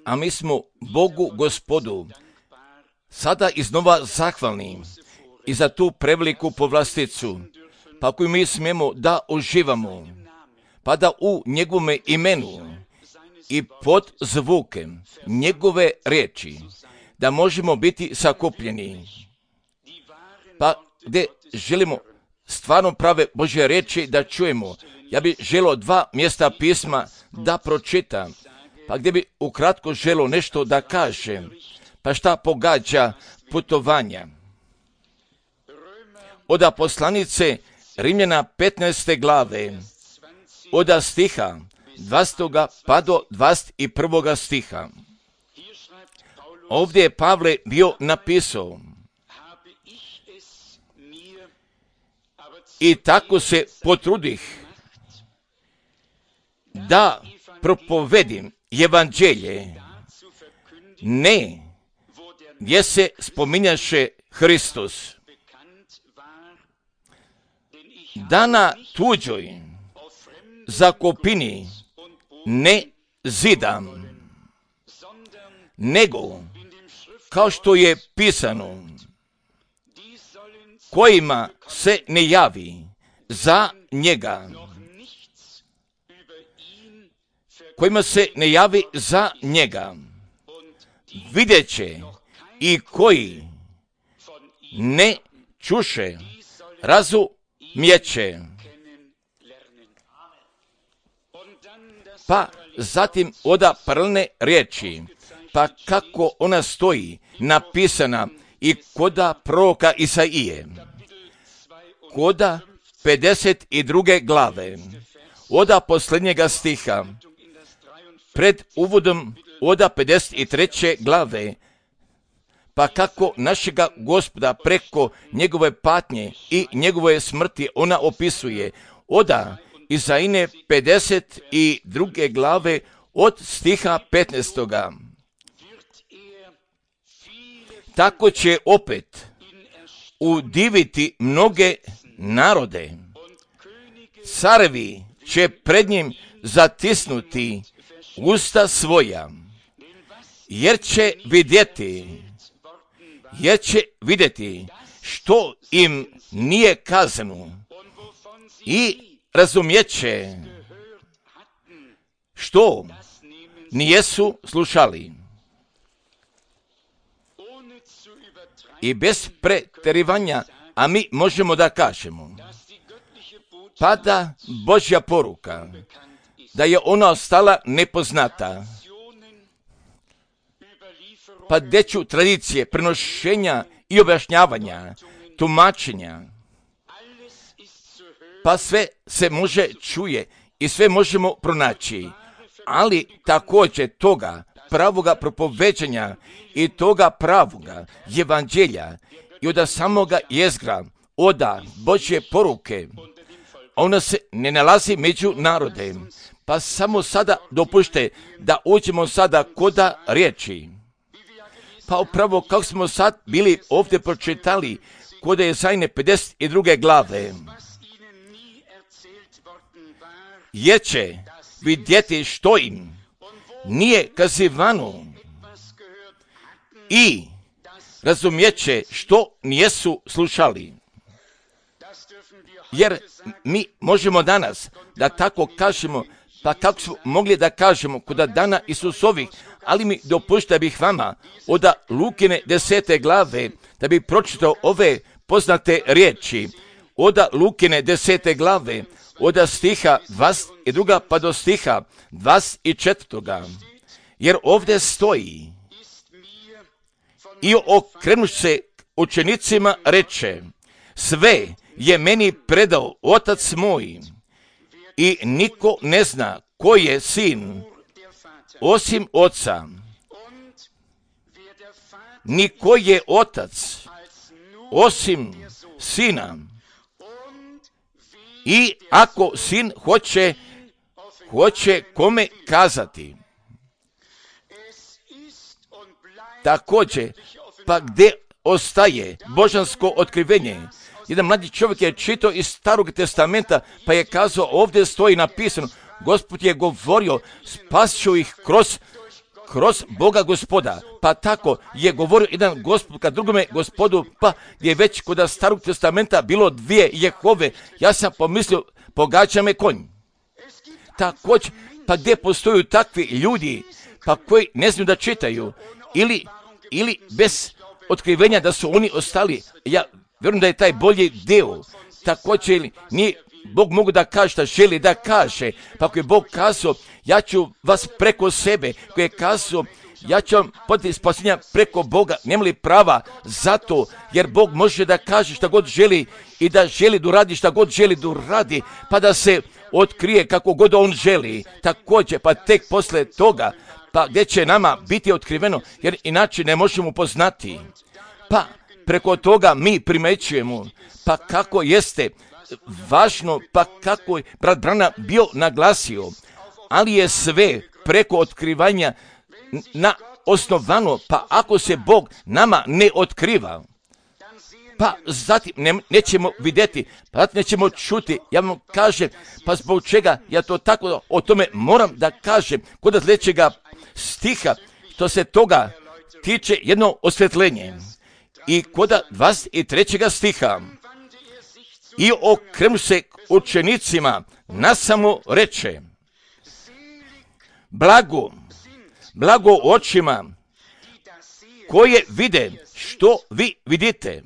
A mi smo Bogu Gospodu sada iznova zahvalni i za tu preveliku povlasticu, pa koju mi smijemo da uživamo, pa da u njegovome imenu i pod zvuke njegove riječi da možemo biti sakupljeni, pa gdje želimo stvarno prave Božje riječi da čujemo. Ja bih želio 2 mjesta pisma da pročitam, pa gdje bi ukratko želio nešto da kažem, pa šta pogađa putovanja. Od poslanice Rimljana 15. glave, od stiha 20. pa do 21. stiha. Ovdje je Pavle bio napisao: i tako se potrudih da propovedim evanđelje, ne gdje se spominjaše Hristos, da na tuđoj zakopini ne zidam, nego kao što je pisano, kojima se ne javi za njega, kojima se ne javi za njega, vidjet će i koji ne čuše, razumjeće. Pa zatim oda paralelne riječi, pa kako ona stoji napisana i koda proroka Isaije, koda 52. glave, oda posljednjega stiha, pred uvodom oda 53. glave, pa kako našega Gospoda preko njegove patnje i njegove smrti ona opisuje, oda Isaine 52. glave od stiha 15. Tako će opet udiviti mnoge narode. Carevi će pred njim zatisnuti usta svoja, jer će vidjeti što im nije kazano i razumjeće što nijesu slušali. I bez pretjerivanja, a mi možemo da kažemo, pada Božja poruka, da je ona ostala nepoznata. Pa deću tradicije, prenošenja i objašnjavanja, tumačenja, pa sve se može čuje i sve možemo pronaći, ali također toga pravoga propoveđanja i toga pravoga evanđelja i od samoga jezgra, oda Božje poruke, ona se ne nalazi među narodem. Pa samo sada dopušte da uđemo sada koda riječi. Pa upravo kako smo sad bili ovdje pročitali koda Isaine 52. glave, jer će vidjeti što im nije kazivano i razumjeće što nijesu slušali. Jer mi možemo danas da tako kažemo, pa kako smo mogli da kažemo kod dana Isusovih, ali mi dopušta bih vama od Lukine 10. glave da bi pročitao ove poznate riječi. Od Lukine 10. glave, od stiha 22. pa do stiha 24. Jer ovdje stoji: i okrenuš se učenicima reče, sve je meni predao Otac moj i niko ne zna ko je sin osim Oca, ni ko je Otac osim Sina, i ako Sin hoće kome kazati. Također, pa gdje ostaje božansko otkrivenje? Jedan mladi čovjek je čitao iz Starog testamenta, pa je kazao, ovdje stoji napisano, Gospod je govorio, spasit ću ih kroz Boga Gospoda. Pa tako je govorio jedan Gospod ka drugome Gospodu, pa je već kod Starog testamenta bilo 2 Jehove. Ja sam pomislio, pogađa me konj. Također, pa gdje postoju takvi ljudi, pa koji ne znaju da čitaju, ili bez otkrivenja da su oni ostali. Ja vjerujem da je taj bolji deo. Također, nije Bog mogu da kaže šta želi da kaže. Pa ako je Bog kazao, ja ću vas preko sebe, koji je kazao, ja ću vam podati spasenja preko Boga, nema li prava zato, jer Bog može da kaže šta god želi i da želi da uradi šta god želi da uradi, pa da se otkrije kako god on želi. Također, pa tek posle toga, pa gdje će nama biti otkriveno, jer inače ne možemo poznati. Pa preko toga mi primećujemo, pa kako jeste važno, pa kako je brat Branham bio naglasio, ali je sve preko otkrivanja na osnovano, pa ako se Bog nama ne otkriva, pa zatim nećemo vidjeti, pa zatim nećemo čuti. Ja vam kažem, pa zbog čega ja to tako o tome moram da kažem, kod sljedećega stiha, što se toga tiče jedno osvjetljenje. I kod 23. stiha, i okrenuo se učenicima, nasamo reče, blago očima koje vide što vi vidite.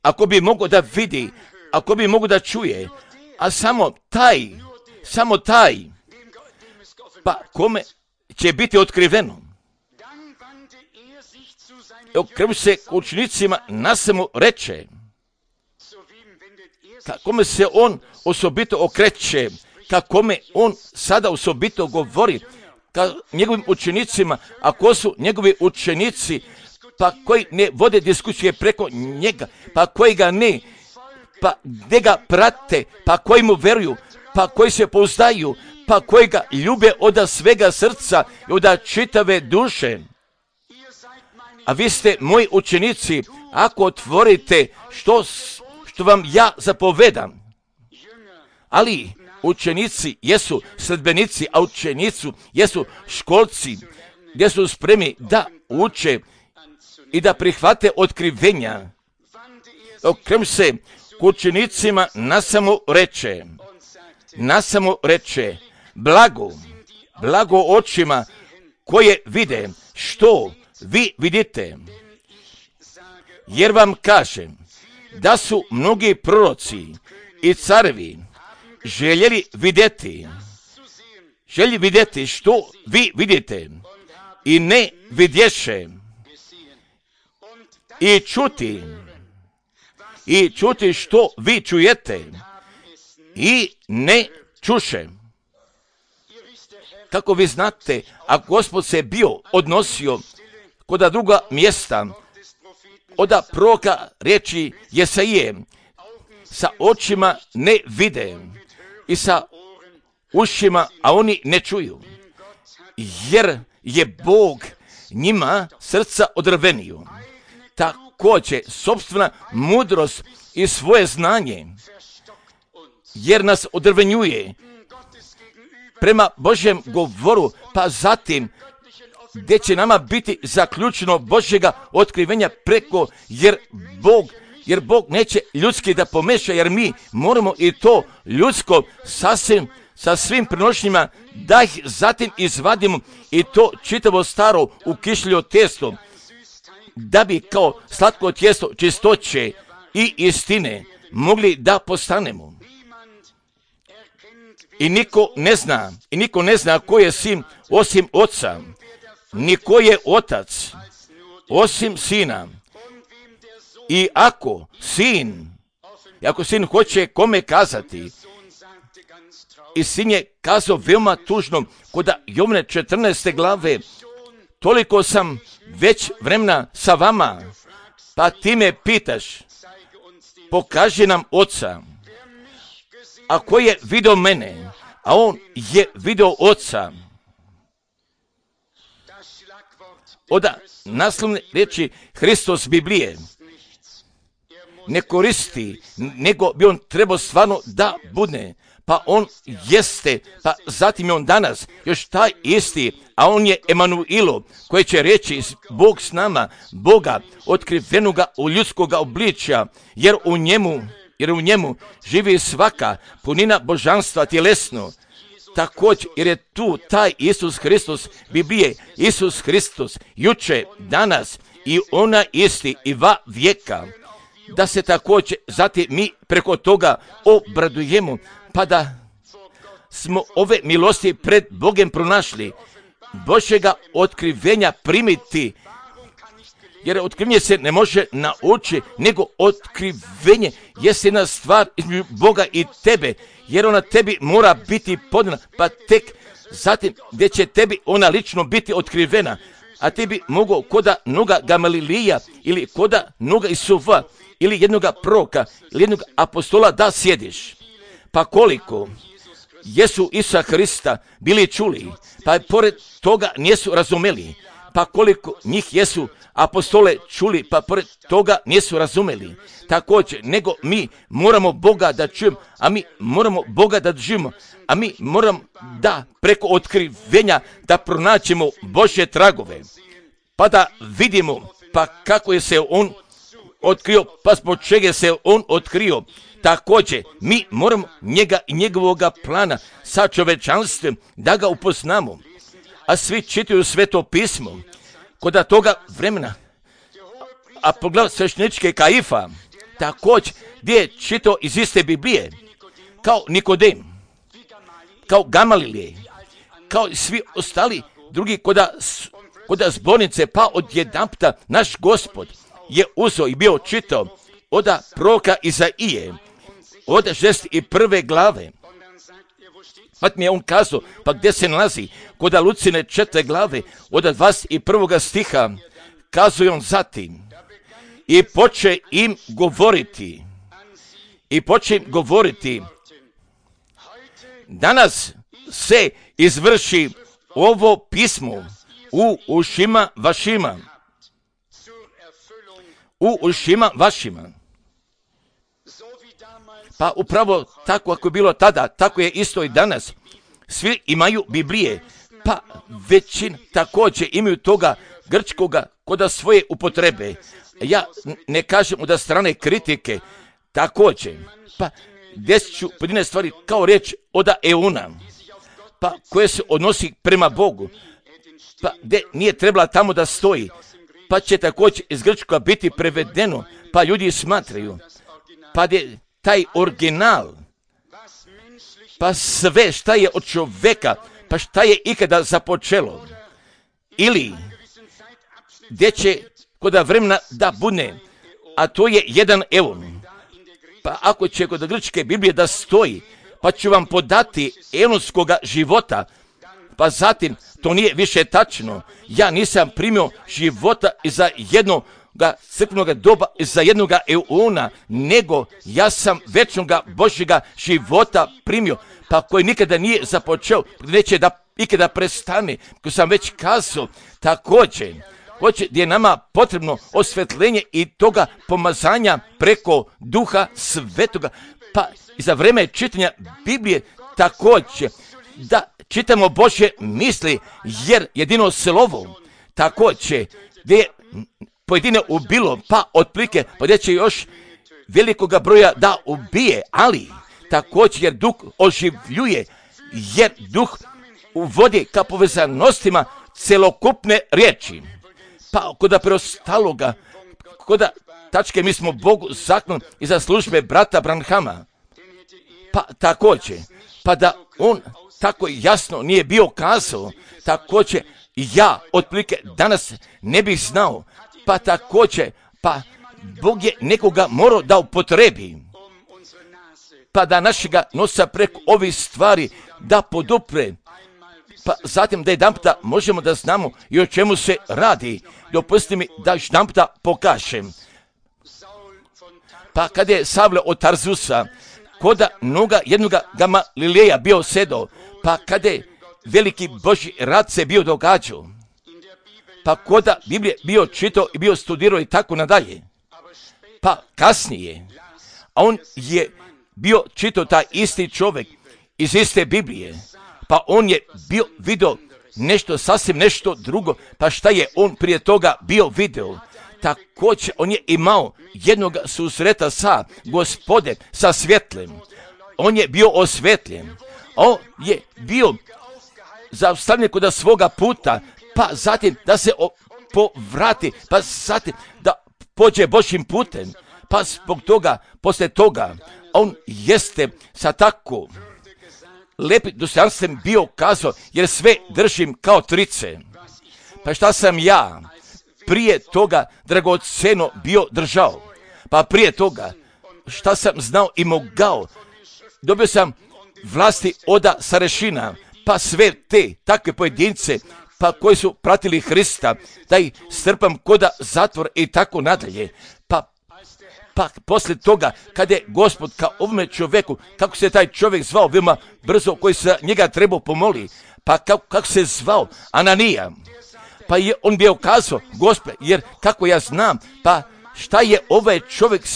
Ako bi mogo da vidi, ako bi mogo da čuje, a samo taj, pa kome će biti otkriveno. Okrenuo se učenicima, nasamo reče, kome se on osobito okreće, kakome on sada osobito govori ka njegovim učenicima, ako su njegovi učenici, pa koji ne vode diskusije preko njega, pa koji ga ne, pa gdje ga prate, pa koji mu veruju, pa koji se pouzdaju, pa koji ga ljube od svega srca i od čitave duše. A vi ste moji učenici, ako otvorite što vam ja zapovedam. Ali učenici jesu sledbenici, a učenici jesu školci, gdje su spremni da uče i da prihvate otkrivenja. Okrenuo se k učenicima, nasamo reče, blago očima koje vide što vi vidite. Jer vam kažem da su mnogi proroci i carevi željeli vidjeti što vi vidite i ne vidješe, i čuti što vi čujete i ne čuše. Kako vi znate, a Gospod se bio odnosio kod druga mjesta, od proroka riječi Jesaije, sa očima ne vide i sa ušima, a oni ne čuju, jer je Bog njima srca odrvenio. Također, sopstvena mudrost i svoje znanje, jer nas odrvenjuje prema Božjem govoru, pa zatim gdje će nama biti zaključeno Božjega otkrivenja preko, jer Bog neće ljudski da pomeša, jer mi moramo i to ljudsko sasvim sa svim prenošnjima da ih zatim izvadimo i to čitavo staro ukišljivo tijesto, da bi kao slatko tijesto čistoće i istine mogli da postanemo. I niko ne zna ko je sin osim oca, ni ko je otac osim sina. I ako sin hoće kome kazati, i sin je kazao veoma tužno kod Jovne 14. glave, toliko sam već vremena sa vama, pa ti me pitaš, pokaži nam oca. A ko je vidio mene, a on je vidio oca. Od naslovne riječi Hristos Biblije ne koristi, nego bi on trebao stvarno da bude. pa on jeste, pa zatim je on danas još taj isti, a on je Emanuilo, koji će reći Bog s nama, Boga otkrivenoga u ljudskoga obličja, jer u njemu živi svaka punina božanstva tjelesno. Također, jer je tu taj Isus Hristos, Biblije, Isus Hristos, juče, danas i ona isti i va vijeka, da se također zatim mi preko toga obradujemo, pa da smo ove milosti pred Bogem pronašli, Božjega otkrivenja primiti, jer otkrivenje se ne može naučiti, nego otkrivenje jest jedna stvar između Boga i tebe, jer ona tebi mora biti podana, pa tek zatim gdje će tebi ona lično biti otkrivena, a ti bi mogao koda noga Gamalilija ili koda noga Isufa ili jednoga proroka ili jednog apostola da sjediš. Pa koliko jesu Isusa Hrista bili čuli, pa pored toga nisu razumeli, pa koliko njih jesu apostole čuli, pa pored toga nisu razumeli. Također, nego mi moramo Boga da čujemo, a mi moramo Boga da držimo, a mi moramo da preko otkrivenja da pronaćemo Božje tragove, pa da vidimo pa kako je se on otkrio, pa zbog čega se on otkrio. Također, mi moramo njega i njegovoga plana sa čovečanstvom da ga upoznamo. A svi čitaju Sveto pismo. Kod toga vremena, a poglavlja svešteničke Kaifa, također gdje je čitao iz iste Biblije, kao Nikodem, kao Gamalilije, kao i svi ostali drugi koda zbornice, pa odjedanputa naš Gospod je uzeo i bio čitao od proroka Izaije, od 61. glave. Pa mi je on kazao, pa gdje se nalazi? Kod Lucine 4. glave, od 21. stiha, kazao je on zatim, i poče im govoriti, danas se izvrši ovo pismo u ušima vašima. Pa upravo tako ako je bilo tada, tako je isto i danas. Svi imaju Biblije, pa većina također imaju toga grčkoga koda svoje upotrebe. Ja ne kažem od strane kritike, također, pa desit ću pojedine stvari kao riječ od euna, pa koje se odnosi prema Bogu, pa gdje nije trebala tamo da stoji, pa će također iz grčkoga biti prevedeno, pa ljudi smatraju, pa gdje taj original, pa sve šta je od čoveka, pa šta je ikada započelo, ili gdje će kod vremena da bude, a to je 1 eon. Pa ako će kod grčke Biblije da stoji, pa ću vam podati eonskoga života, pa zatim to nije više tačno. Ja nisam primio života iza jednoga crkvenoga doba, iza jednoga eona, nego ja sam večnoga Božjega života primio, pa koji nikada nije započeo, neće da ikada prestane, koji sam već kazao. Također, gdje je nama potrebno osvetljenje i toga pomazanja preko Duha Svetoga, pa i za vreme čitanja Biblije također da čitamo Božje misli, jer jedino slovo također gdje je pojedine ubilo, pa otplike, pa gdje će još velikoga broja da ubije, ali također jer Duh oživljuje, jer Duh uvodi ka povezanostima celokupne riječi. Pa kod preostaloga, kod tačke mi smo Bogu zakon i za službe brata Branhama, pa također, pa da on tako jasno nije bio kazao, također ja otprilike danas ne bih znao, pa također, pa Bog je nekoga morao da upotrebi, pa da našega nosa preko ovih stvari da podupre, pa zatim da jedanputa možemo da znamo i o čemu se radi. Dopusti mi da jedanputa pokažem. Pa kada je Savle od Tarzusa koda noga jednoga Gamalileja bio sedao, pa kada je veliki Božji rad se bio događao, pa koda Biblije bio čitao i bio studirao i tako nadalje, pa kasnije, a on je bio čitao taj isti čovjek iz iste Biblije. Pa on je vidio nešto drugo. Pa šta je on prije toga bio video? Također on je imao jednog susreta sa Gospodem, sa svjetlem. On je bio osvjetljen. On je bio zaustavljen kod svoga puta, pa zatim da se povrati, pa zatim da pođe Božjim putem. Pa zbog toga, poslije toga, on jeste sa tako lepim dostojanstvom bio kazao, jer sve držim kao trice. Pa šta sam ja prije toga dragoceno bio držao? Pa prije toga šta sam znao i mogao? Dobio sam vlasti oda starešina, pa sve te takve pojedince, pa koji su pratili Hrista, da ih strpam koda zatvor i tako nadalje. Pa poslije toga, kada je Gospod kao ovome čovjeku, kako se taj čovjek zvao veoma brzo, koji se njega trebao pomoli, pa kako se zvao Ananija, pa je on bio kazao, Gospod, jer kako ja znam, pa šta je ovaj čovjek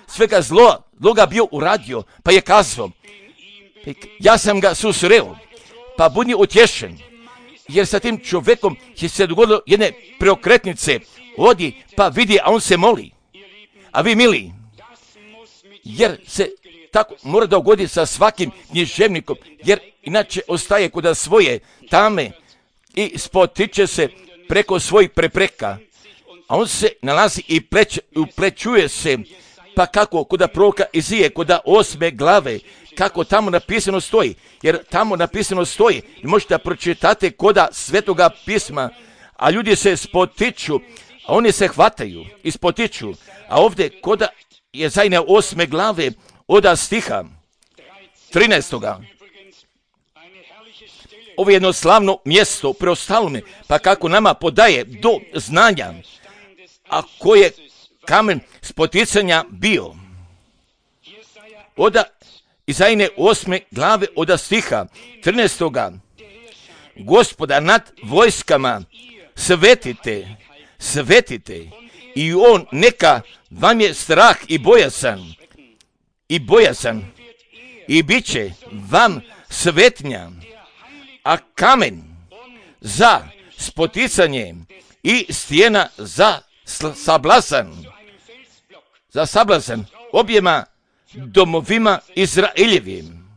svega zloga bio uradio, pa je kazao, ja sam ga susreo, pa budi utješen, jer sa tim čovjekom je se dogodilo jedne preokretnice, odi pa vidi, a on se moli. A vi mili, jer se tako mora dogoditi sa svakim književnikom, jer inače ostaje kod svoje tame i spotiče se preko svojih prepreka, a on se nalazi i uplećuje se, pa kako kod proroka Izije, kod 8. glave, kako tamo napisano stoji, jer tamo napisano stoji, možete da pročitate kod Svetoga pisma, a ljudi se spotiču, a oni se hvataju i spotiču, a ovdje kod Jesaja 8. glave od stiha 13. Ovo je jedno slavno mjesto preostalome, pa kako nama podaje do znanja, a koji je kamen spoticanja bio. Od Jesaja 8. glave od stiha 13. Gospoda nad vojskama svetite i on neka vam je strah i bojazan i bit će vam svetnja, a kamen za spoticanje i stijena za sablazan objema domovima Izraeljevim,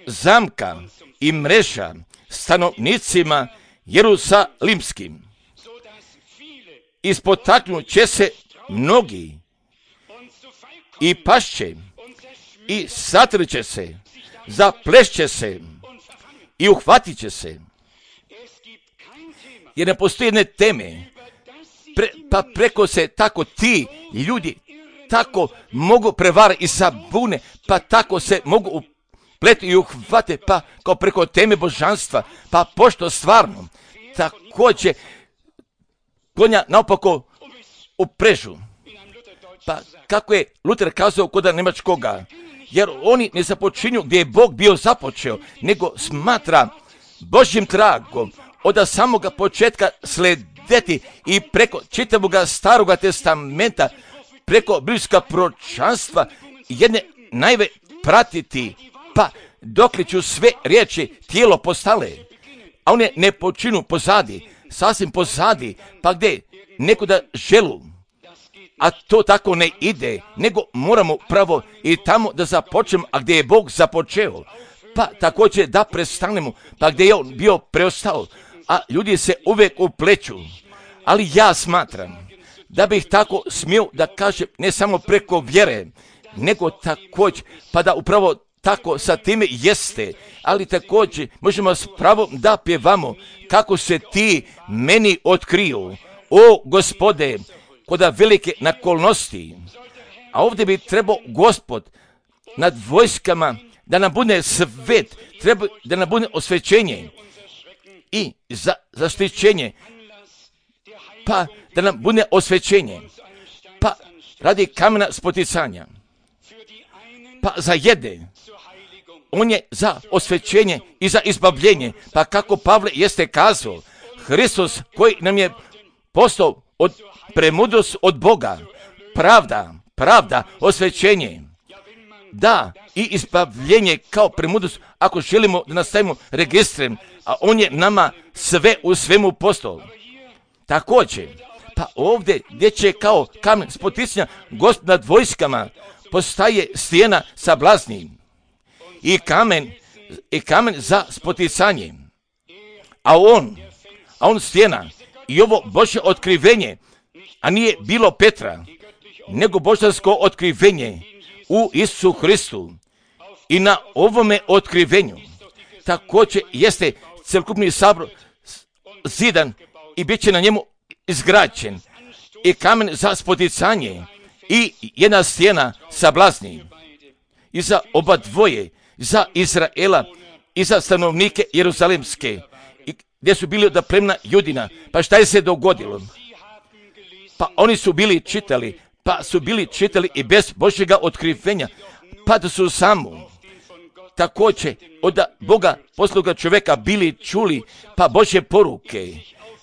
zamka i mreža stanovnicima Jerusalimskim. Ispotaknut će se mnogi i pašće i satrće se, zaplešće se i uhvatit će se. Jer ne postoji jedne teme, pa preko se tako ti ljudi tako mogu prevariti i zabune, pa tako se mogu upletu i uhvate, pa kao preko teme božanstva, pa pošto stvarno također konja naopako uprežu. Pa kako je Luter kazao kod njemačkoga, jer oni ne započinju gdje je Bog bio započeo, nego smatra Božjim tragom od samoga početka sledeti i preko čitavoga Staroga testamenta, preko biblijska proročanstva jedne najve pratiti, pa dokle ću sve riječi tijelo postale, a one ne počinu pozadi, sasvim pozadi, pa gdje neko da želu, a to tako ne ide, nego moramo pravo i tamo da započnemo, a gdje je Bog započeo, pa također da prestanemo, pa gdje je on bio preostao, a ljudi se uvijek upleću. Ali ja smatram da bih tako smio da kažem ne samo preko vjere, nego također, pa da upravo tako sa time jeste, ali također možemo s pravom da pjevamo kako se ti meni otkriju, o Gospode, kod velike nakolnosti. A ovdje bi trebao Gospod nad vojskama da nam bude svet, treba da nam bude osvećenje i zaštićenje, pa da nam bude osvećenje, pa radi kamena spoticanja, pa za jedne on je za osvećenje i za izbavljenje, pa kako Pavle jeste kazao, Hristos koji nam je postao premudrost od Boga, pravda, osvećenje. Da, i ispavljenje kao premudrost, ako želimo da nastavimo registrem, a on je nama sve u svemu postao. Također, pa ovdje gdje će kao kamen spoticanja Gospod nad vojskama postaje stijena sa blasnim i kamen za spoticanje. A on stijena i ovo Božje otkrivenje, a nije bilo Petra, nego božansko otkrivenje u Isusu Hristu. I na ovome otkrivenju također jeste cjelokupni sabor zidan i bit će na njemu izgrađen i kamen za spoticanje i jedna stijena sa blasnim. I za oba dvoje, za Izraela i za stanovnike Jeruzalemske, gdje su bili od plemena Judina. Pa šta je se dogodilo? Pa oni su bili čitali i bez Božjega otkrivenja, pa da su samo također od Boga posluga čovjeka bili čuli pa Božje poruke,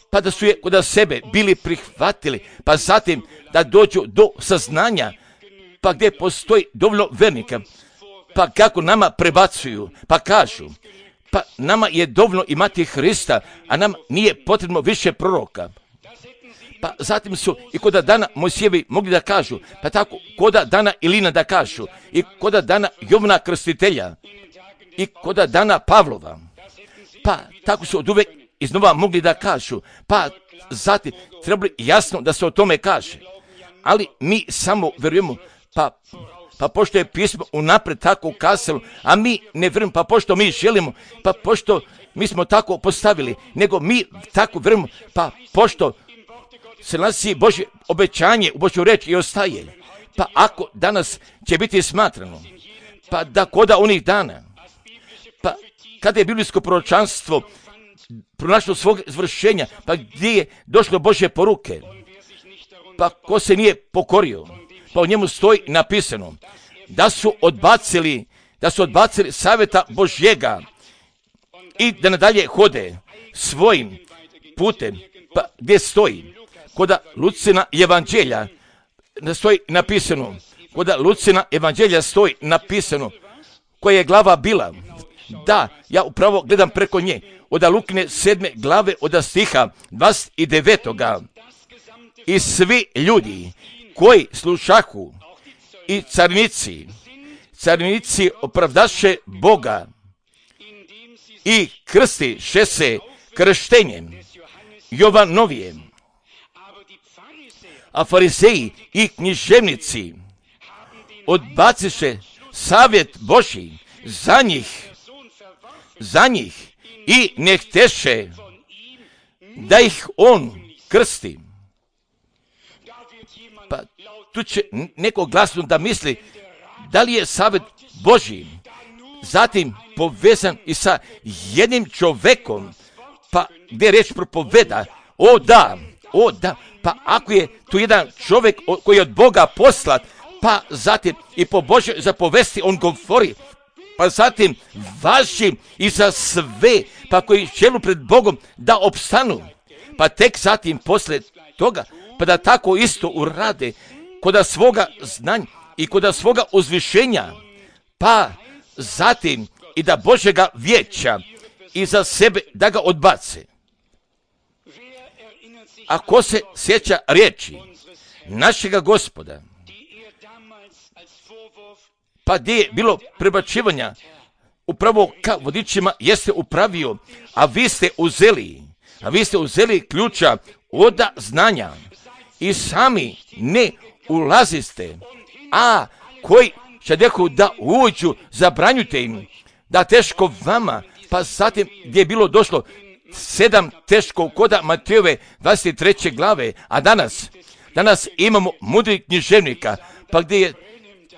pa da su je kod sebe bili prihvatili, pa zatim da dođu do saznanja, pa gdje postoji dovoljno vernika, pa kako nama prebacuju, pa kažu, pa nama je dovoljno imati Hrista, a nam nije potrebno više proroka. Pa zatim su i kod dana Mojsijevi mogli da kažu, pa tako kod dana Ilina da kažu, i kod dana Jovana Krstitelja, i kod dana Pavlova. Pa tako su od uvek iznova mogli da kažu, pa zatim trebali jasno da se o tome kaže. Ali mi samo vjerujemo, pa pošto je pismo unaprijed tako ukazalo, a mi ne vjerujemo, pa pošto mi želimo, pa pošto mi smo tako postavili, nego mi tako vjerujemo, pa pošto se nalazi Božje obećanje u Božju reč i ostaje. Pa ako danas će biti smatrano, pa da koda onih dana, pa kada je biblijsko proročanstvo pronašlo svog izvršenja, pa gdje je došlo Božje poruke, pa ko se nije pokorio, pa u njemu stoji napisano da su odbacili savjeta Božjega i da nadalje hode svojim putem, pa gdje stoji kod Lucina evanđelja stoji napisano, koja je glava bila. Da, ja upravo gledam preko nje, od Lukine 7. glave, od stiha 29. I svi ljudi koji slušahu i carnici opravdaše Boga i krstiše se krštenjem Jovanovijem. A fariseji i književnici odbaciše savjet Božji za njih i ne hteše da ih on krsti. Pa tu će neko glasno da misli da li je savjet Božji zatim povezan i sa jednim čovjekom, pa gdje reč propoveda, o da, pa ako je tu jedan čovjek koji je od Boga poslat, pa zatim i po Božjoj zapovesti on govori, pa zatim važi i za sve, pa koji žele pred Bogom da opstanu, pa tek zatim posle toga, pa da tako isto urade kod svoga znanja i kod svoga uzvišenja, pa zatim i da Božjega vijeća i za sebe da ga odbace. Ako se sjeća riječi našega Gospoda, pa gdje je bilo prebačivanja upravo ka vodičima jeste upravio, a vi ste uzeli ključa od znanja i sami ne ulaziste, a koji će neko da uđu, zabranjujte im, da teško vama, pa zatim gdje je bilo došlo 7 teško koda Matejove 23. glave, a danas imamo mudrih književnika, pa gdje je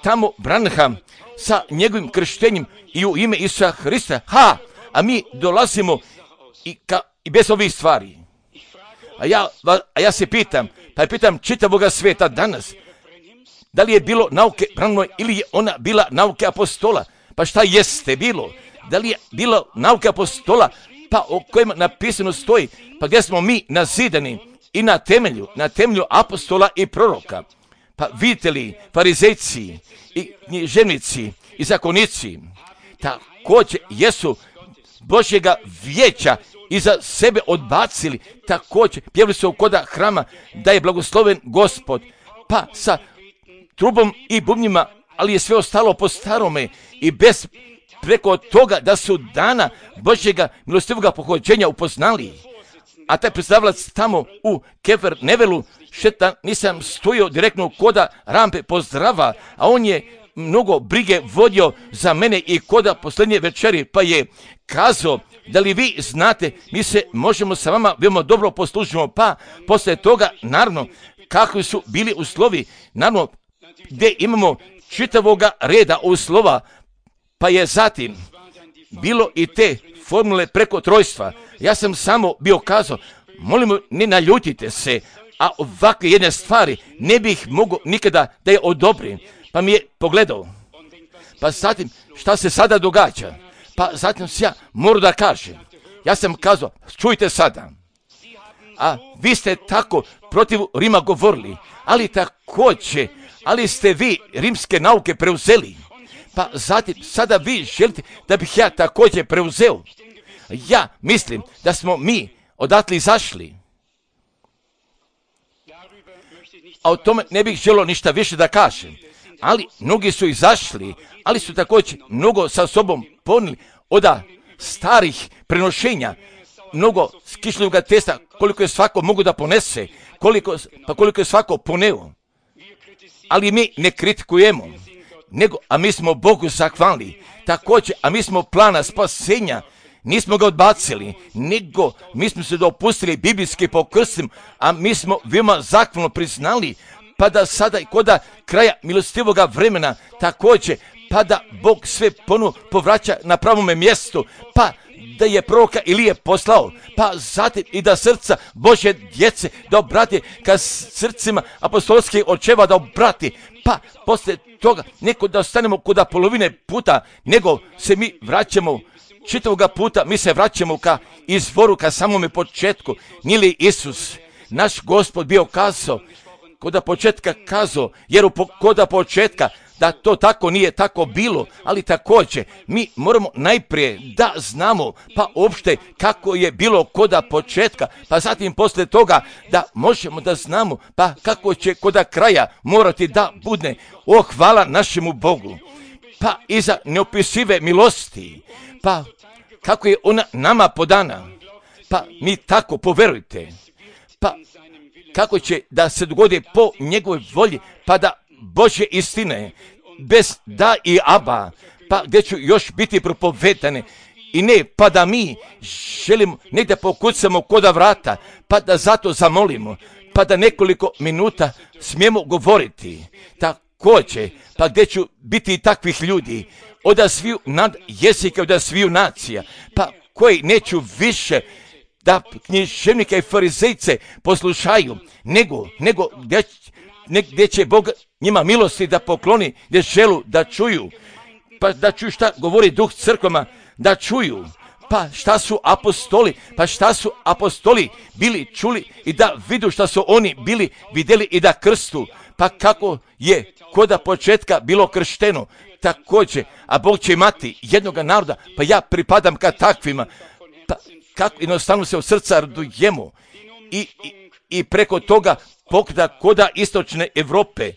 tamo Branham sa njegovim krštenjem i u ime Isusa Hrista, a mi dolazimo i bez ovih stvari. A ja se pitam čitavoga svijeta danas, da li je bilo nauke Branhamove ili je ona bila nauke apostola? Pa šta jeste bilo? Da li je bilo nauke apostola, pa o kojima napisano stoji, pa gdje smo mi nazidani i na temelju apostola i proroka? Pa vidite li, farizejci i književnici i zakonici također jesu Božjega vijeća iza sebe odbacili, također pjevali su koda hrama da je blagosloven Gospod, pa sa trubom i bubnjima, ali je sve ostalo po starome i bez preko toga da su dana Božjega milostivoga pohođenja upoznali. A taj predstavlac tamo u Kefer Nevelu, šetan nisam stojio direktno koda rampe pozdrava, a on je mnogo brige vodio za mene i koda posljednje večeri, pa je kazao, da li vi znate, mi se možemo sa vama veoma dobro poslužimo, pa poslije toga, naravno, kakvi su bili uslovi, naravno, gdje imamo čitavoga reda uslova, pa je zatim bilo i te formule preko trojstva. Ja sam samo bio kazao, molimo, ne naljutite se, a ovakve jedne stvari ne bih mogao nikada da je odobrim. Pa mi je pogledao, pa zatim šta se sada događa, pa zatim se ja moram da kažem. Ja sam kazao, čujte sada, a vi ste tako protiv Rima govorili, ali također, ali ste vi rimske nauke preuzeli, pa zatim sada vi želite da bih ja također preuzeo. Ja mislim da smo mi odatle izašli. A o tome ne bih želio ništa više da kažem. Ali mnogi su izašli, ali su također mnogo sa sobom ponijeli od starih prenošenja, mnogo kišljivog testa, koliko je svako mogu da ponese, koliko je svako poneo. Ali mi ne kritikujemo, nego, a mi smo Bogu zahvalni. Također, a mi smo plana spasenja, nismo ga odbacili, nego mi smo se dopustili biblijski pokrstim, a mi smo veoma zahvalno priznali, pa da sada i koda kraja milostivoga vremena također, pa da Bog sve povraća na pravome mjestu, pa da je proroka Ilije poslao, pa zatim i da srca Božje djece da obrati ka srcima apostolskih očeva da obrati, pa poslije toga neko da ostanemo kod polovine puta, nego se mi vraćamo čitavoga puta, mi se vraćamo ka izvoru, ka samome početku. Nije li Isus, naš Gospod, bio kazao, koda početka kazao, jer koda početka da to tako nije tako bilo, ali također mi moramo najprije da znamo pa uopšte kako je bilo koda početka, pa zatim poslije toga da možemo da znamo pa kako će koda kraja morati da bude. O, hvala našemu Bogu, pa iza neopisive milosti, pa kako je ona nama podana, pa mi tako poverujte, pa kako će da se dogodi po njegovoj volji, pa da Božje istine, bez da i aba, pa gdje ću još biti propovedane, i ne, pa da mi želimo negdje pokucamo koda vrata, pa da zato zamolimo, pa da nekoliko minuta smijemo govoriti. Također, pa gdje ću biti i takvih ljudi, od sviju nad jezika, od sviju nacija, pa koji neću više da književnike i farizejce poslušaju, nego gdje će Bog njima milosti da pokloni, gdje želu da čuju, pa da čuju šta govori Duh crkvama, da čuju, pa šta su apostoli bili čuli i da vidu šta su oni bili vidjeli i da krstu, pa kako je koda početka bilo kršteno, također, a Bog će imati jednoga naroda, pa ja pripadam ka takvima, pa kako jednostavno se od srca radujemo i preko toga pokreta koda istočne Europe.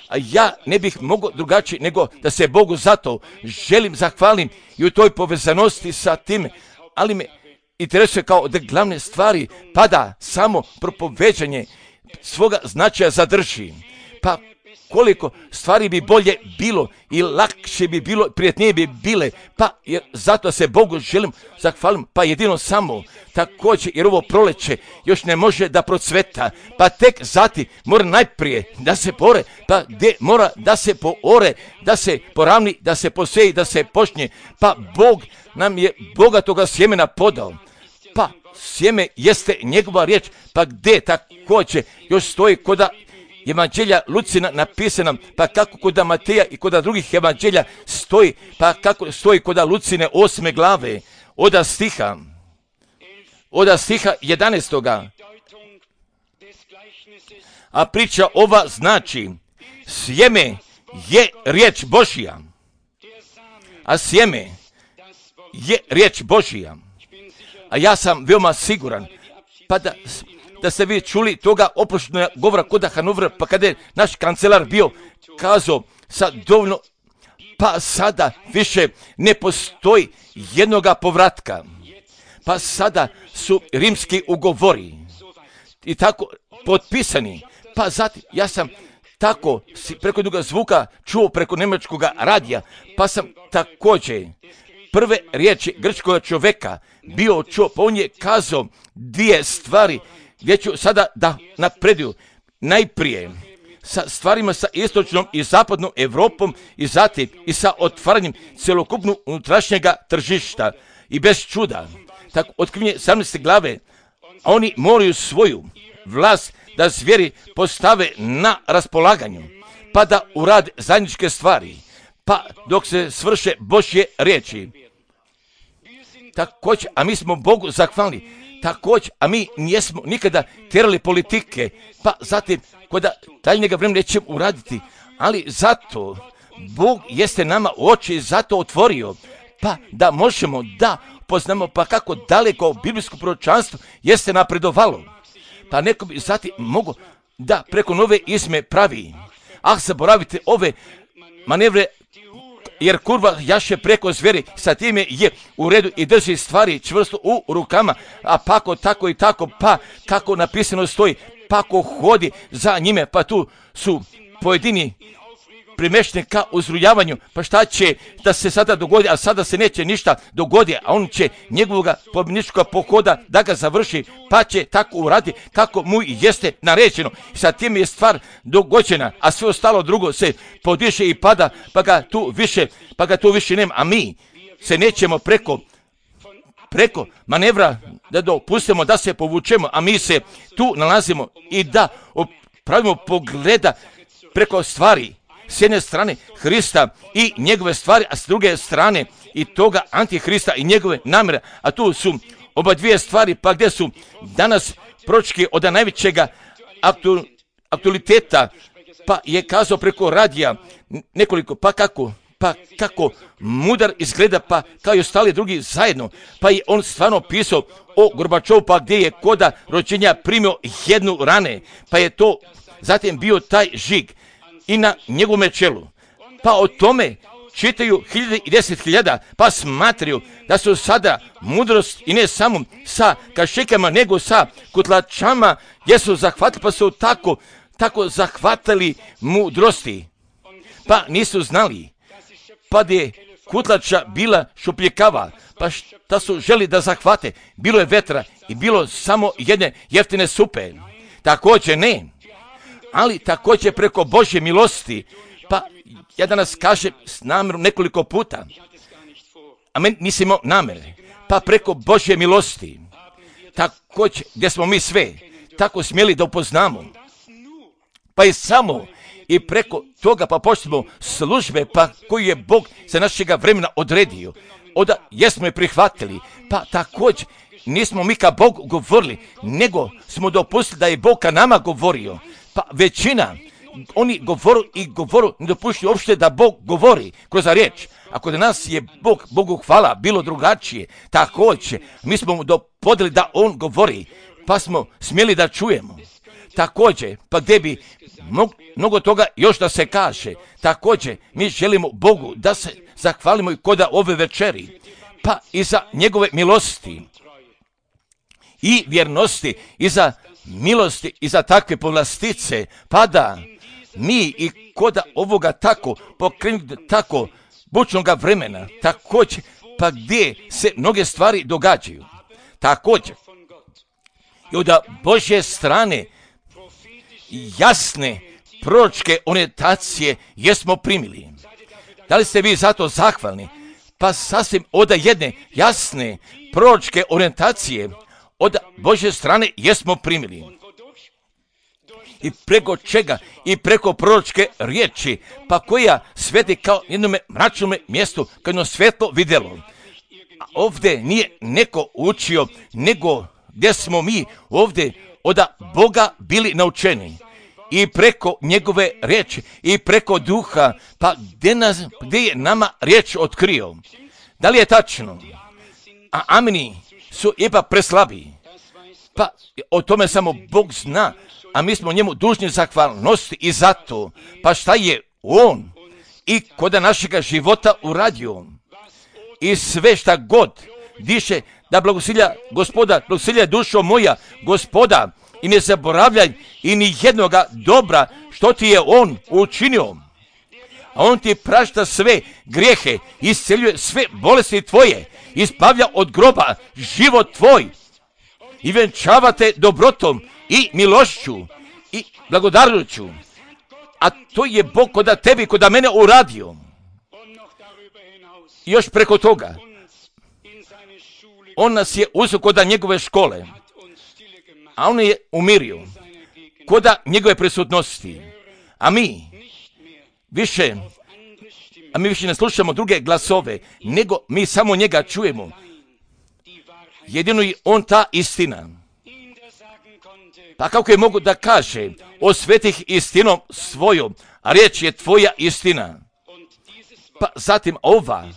A ja ne bih mogao drugačije nego da se Bogu zato želim zahvalim i u toj povezanosti sa tim, ali me interesuje kao da glavne stvari pa da samo propoveđanje svoga značaja zadrži. Pa koliko stvari bi bolje bilo i lakše bi bilo, prijatnije bi bile, pa jer zato se Bogu želim zahvalim, pa jedino samo također, jer ovo proleće još ne može da procveta, pa tek zati mora najprije da se pore, pa gdje mora da se poore, da se poravni, da se poseji, da se počne, pa Bog nam je bogatoga sjemena podao, pa sjeme jeste njegova riječ, pa gdje također još stoji koda Evanđelja Lucina napisana, pa kako koda Mateja i koda drugih evanđelja stoji, pa kako stoji koda Lucine 8. glave, od stiha 11. A priča ova znači, sjeme je riječ Božja. a sjeme je riječ Božija. A ja sam veoma siguran, pa da ste vi čuli toga oproštenog govora kod Hanovera, pa kada je naš kancelar bio kazao sa dovoljno, pa sada više ne postoji jednoga povratka. Pa sada su rimski ugovori i tako potpisani. Pa zatim ja sam tako preko jednog zvuka čuo preko njemačkog radija, pa sam također prve riječi grčkog čovjeka bio čuo, pa on je kazao dvije stvari gdje ću sada da napreduju. Najprije sa stvarima sa istočnom i zapadnom Europom i zatim i sa otvaranjem cjelokupnog unutrašnjega tržišta. I bez čuda, tako otkrivenje 17. glave, a oni moraju svoju vlast da zvijeri postave na raspolaganju, pa da urade zajedničke stvari, pa dok se svrše Božje riječi. Također, a mi smo Bogu zahvalni, također, a mi nismo nikada tjerali politike, pa zatim kada daljnjega vremena nećemo uraditi, ali zato Bog jeste nama oči zato otvorio, pa da možemo da poznamo pa kako daleko biblijsko proročanstvo jeste napredovalo. Pa neko bi zatim mogo da preko nove izme pravi. Zaboravite ove manevre, jer kurva jaše preko zveri, sa time je u redu i drži stvari čvrsto u rukama, a pako tako i tako, pa kako napisano stoji, pako hodi za njime, pa tu su pojedini primešteni ka uzrujavanju, pa šta će da se sada dogodi, a sada se neće ništa dogodi, a on će njegovog pobjedničkog pohoda da ga završi, pa će tako uradi kako mu jeste naređeno. Sa tim je stvar dogođena, a sve ostalo drugo se podiše i pada, pa ga tu više nema, a mi se nećemo preko manevra da dopustimo da se povučemo, a mi se tu nalazimo i da pravimo pogleda preko stvari. S jedne strane Hrista i njegove stvari, a s druge strane i toga antihrista i njegove namjere. A tu su oba dvije stvari, pa gdje su danas proročki od najvećega aktualiteta, pa je kazao preko radija nekoliko, pa kako mudar izgleda, pa kao i ostali drugi zajedno, pa je on stvarno pisao o Gorbačovu, pa gdje je koda rođenja primio jednu rane, pa je to zatim bio taj žig i na njegovome čelu. Pa o tome čitaju 1010.000, pa smatraju da su sada mudrost i ne samo sa kašikama, nego sa kutlačama, gdje su zahvatili, pa su tako zahvatali mudrosti. Pa nisu znali, pa da je kutlača bila šupljikava, pa šta su želi da zahvate, bilo je vetra i bilo samo jedne jeftine supe. Također ne, ali također preko Božje milosti, pa ja danas kažem s namjerom nekoliko puta, a meni nisam imao namjere, pa preko Božje milosti, također gdje smo mi sve tako smjeli da upoznamo, pa i samo i preko toga pa počnemo službe, pa koju je Bog za našega vremena odredio, onda jesmo je prihvatili, pa također nismo mi ka Bogu govorili, nego smo dopustili da je Bog ka nama govorio. Pa većina, oni govoru, ne dopuštaju uopšte da Bog govori kroz riječ. Ako da nas je Bogu hvala, bilo drugačije, također, mi smo mu dopodili da on govori, pa smo smjeli da čujemo. Također, pa gdje bi mnogo toga još da se kaže, također, mi želimo Bogu da se zahvalimo i koda ove večeri, pa i za njegove milosti i vjernosti i za milosti i za takve povlastice, pa da mi i koda ovoga tako pokrenuti tako bučnoga vremena, također pa gdje se mnoge stvari događaju, također i od Božje strane jasne proročke orijentacije jesmo primili. Da li ste vi zato zahvalni? Pa sasvim od jedne jasne proročke orijentacije od Božje strane jesmo primili. I preko čega? I preko proročke riječi, pa koja sveti kao jednome mračnome mjestu, kao jedno svetlo vidjelo. A ovdje nije neko učio, nego gdje smo mi ovdje od Boga bili naučeni. i preko njegove riječi i preko duha. Pa gdje je nama riječ otkrio? Da li je tačno? A ameni su ipak preslabi. Pa o tome samo Bog zna, a mi smo njemu dužni zahvalnosti i zato. Pa šta je on i kod našega života uradio? I sve šta god diše, da blagosilja Gospoda, blagosilja dušo moja Gospoda, i ne zaboravljaj i ni jednoga dobra što ti je on učinio. A on ti prašta sve grijehe, isceljuje sve bolesti tvoje, ispavlja od groba život tvoj i venčava te dobrotom i milošću i blagodarnošću. A to je Bog koda tebi, koda mene uradio. I još preko toga, on nas je uzeo koda njegove škole, a on je umirio koda njegove prisutnosti. A mi više ne slušamo druge glasove, nego mi samo njega čujemo. Jedino je on ta istina. Pa kako je mogu da kaže o svetih istinom svojom, a riječ je tvoja istina. Pa zatim ova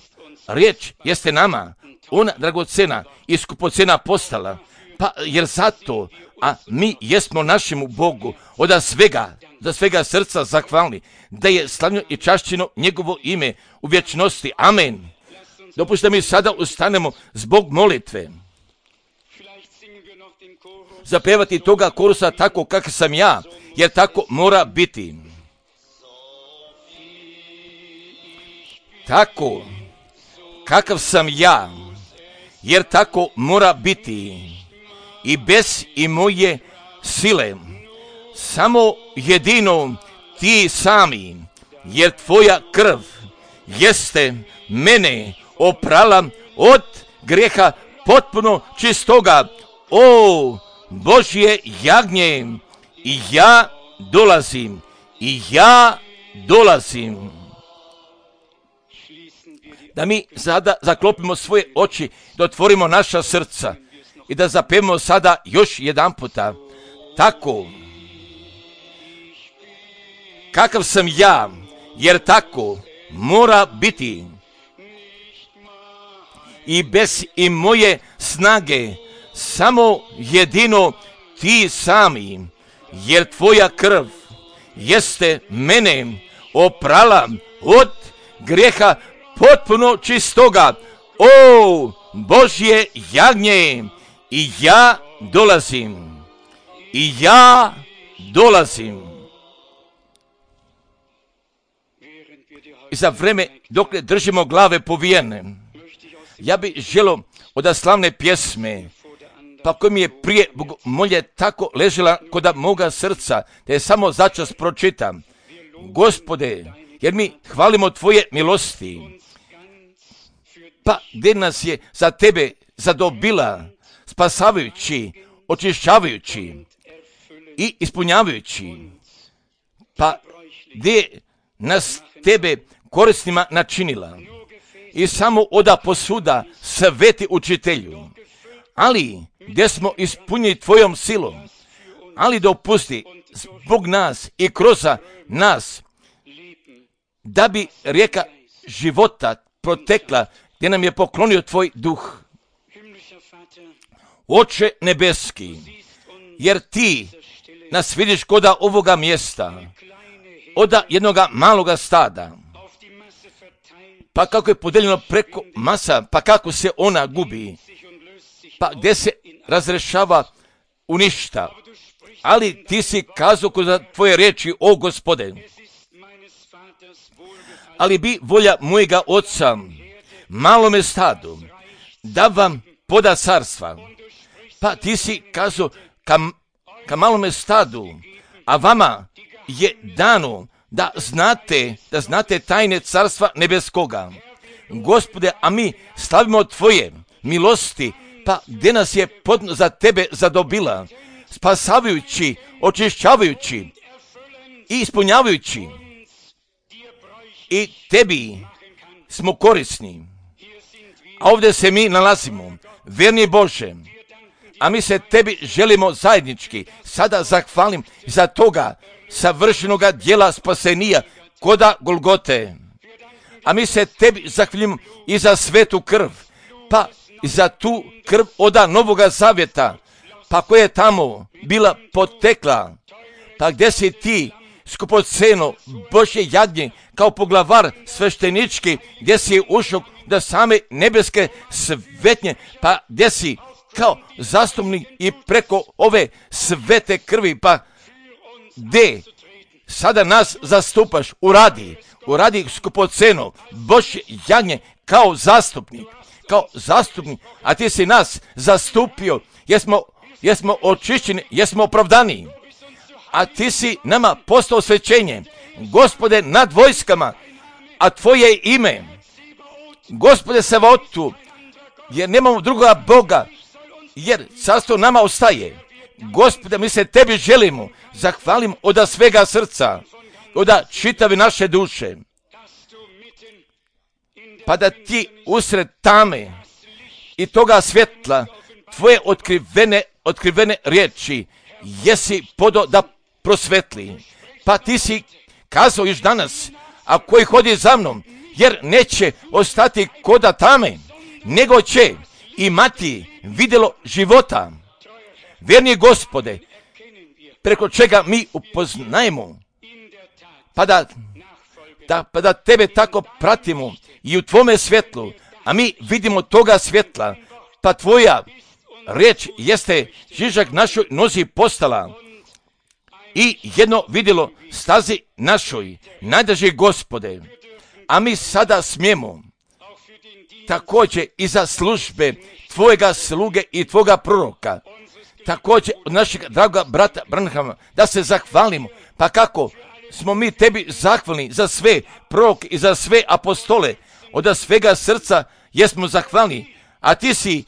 riječ jeste nama, ona dragocena i skupocena postala, pa jer zato, a mi jesmo našemu Bogu od svega srca zahvalni, da je slavno i čašćeno njegovo ime u vječnosti. Amen. Dopustite mi sada ustanemo zbog molitve. Zapevati toga korusa tako kakav sam ja, jer tako mora biti. Tako kakav sam ja, jer tako mora biti. I bez i moje sile, samo jedino ti sami, jer tvoja krv jeste mene oprala od grijeha potpuno čistoga. O Božje jagnje, i ja dolazim. Da mi sada zaklopimo svoje oči, da otvorimo naša srca i da zapevamo sada još jedan puta. Tako kakav sam ja, jer tako mora biti. I bez i moje snage, samo jedino ti sami, jer tvoja krv jeste mene oprala od grijeha potpuno čistoga. O Božje jagnje, i ja dolazim. I za vreme dok ne držimo glave povijene, ja bih želio od slavne pjesme, pa koja mi je prije molje tako ležela kod moga srca, da je samo začas pročitam. Gospode, jer mi hvalimo tvoje milosti, pa gdje nas je za tebe zadobila, spasavajući, očišćavajući i ispunjavajući, pa gdje nas tebe korisnima načinila. I samo oda posuda sveti učitelju, ali gdje smo ispunjeni tvojom silom, ali dopusti zbog nas i kroz nas, da bi rijeka života protekla, gdje nam je poklonio tvoj duh. Oče nebeski, jer ti nas vidiš koda ovoga mjesta, oda jednoga maloga stada, pa kako je podeljeno preko masa, pa kako se ona gubi, pa gdje se razrešava u ništa. Ali ti si kazao kroz tvoje riječi, o Gospode, ali bi volja mojega oca malome stadu da vam poda carstva. Pa ti si kazao ka malome stadu, a vama je dano da znate tajne carstva nebeskoga. Gospode, a mi slavimo tvoje milosti, pa gdje nas je za tebe zadobila, spasavajući, očišćavajući i ispunjavajući. I tebi smo korisni. A ovdje se mi nalazimo, verni Bože, A mi se tebi želimo zajednički sada zahvalim za toga savršenoga djela spasenija koda Golgote. A mi se tebi zahvaljujemo i za svetu krv, pa i za tu krv oda Novoga Zavjeta, pa koja je tamo bila potekla, pa gdje si ti skupoceno Božje jagnje kao poglavar sveštenički, gdje si ušao da same nebeske svetnje, pa gdje si kao zastupnik i preko ove svete krvi, pa gdje sada nas zastupaš, uradi skupoceno Božje jagnje kao zastupnik, a ti si nas zastupio, jesmo očišćeni, jesmo opravdani, a ti si nama postao svećenje, Gospode nad vojskama, a tvoje ime, Gospode Savaotu, jer nemamo drugoga Boga, jer carstvo nama ostaje. Gospode, mi se tebi želimo, zahvalim od svega srca, od čitave naše duše, pa da ti usred tame i toga svjetla tvoje otkrivene riječi jesi podo da prosvetli. Pa ti si kazao još danas, a koji hodi za mnom, jer neće ostati koda tame, nego će imati vidjelo života. Vjerni Gospode, preko čega mi upoznajemo, pa da tebe tako pratimo i u tvome svjetlu, a mi vidimo toga svjetla, pa tvoja riječ jeste žižak našoj nozi postala i jedno vidjelo stazi našoj, najdraži Gospode. A mi sada smijemo također i za službe tvojega sluge i tvoga proroka, također od našeg dragoga brata Branhama, da se zahvalimo, pa kako smo mi tebi zahvalni za sve proroke i za sve apostole, od svega srca jesmo zahvalni, a ti si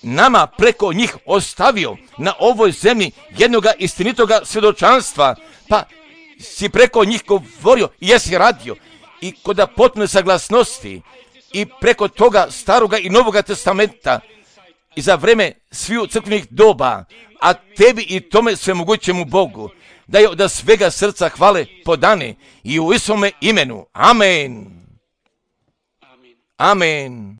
nama preko njih ostavio na ovoj zemlji jednoga istinitoga svjedočanstva, pa si preko njih govorio i jesi radio i kod potpune saglasnosti i preko toga staroga i novoga testamenta i za vreme sviju crkvenih doba, a tebi i tome svemogućemu Bogu da je od svega srca hvale podane i u Isovome imenu. Amen. Amen.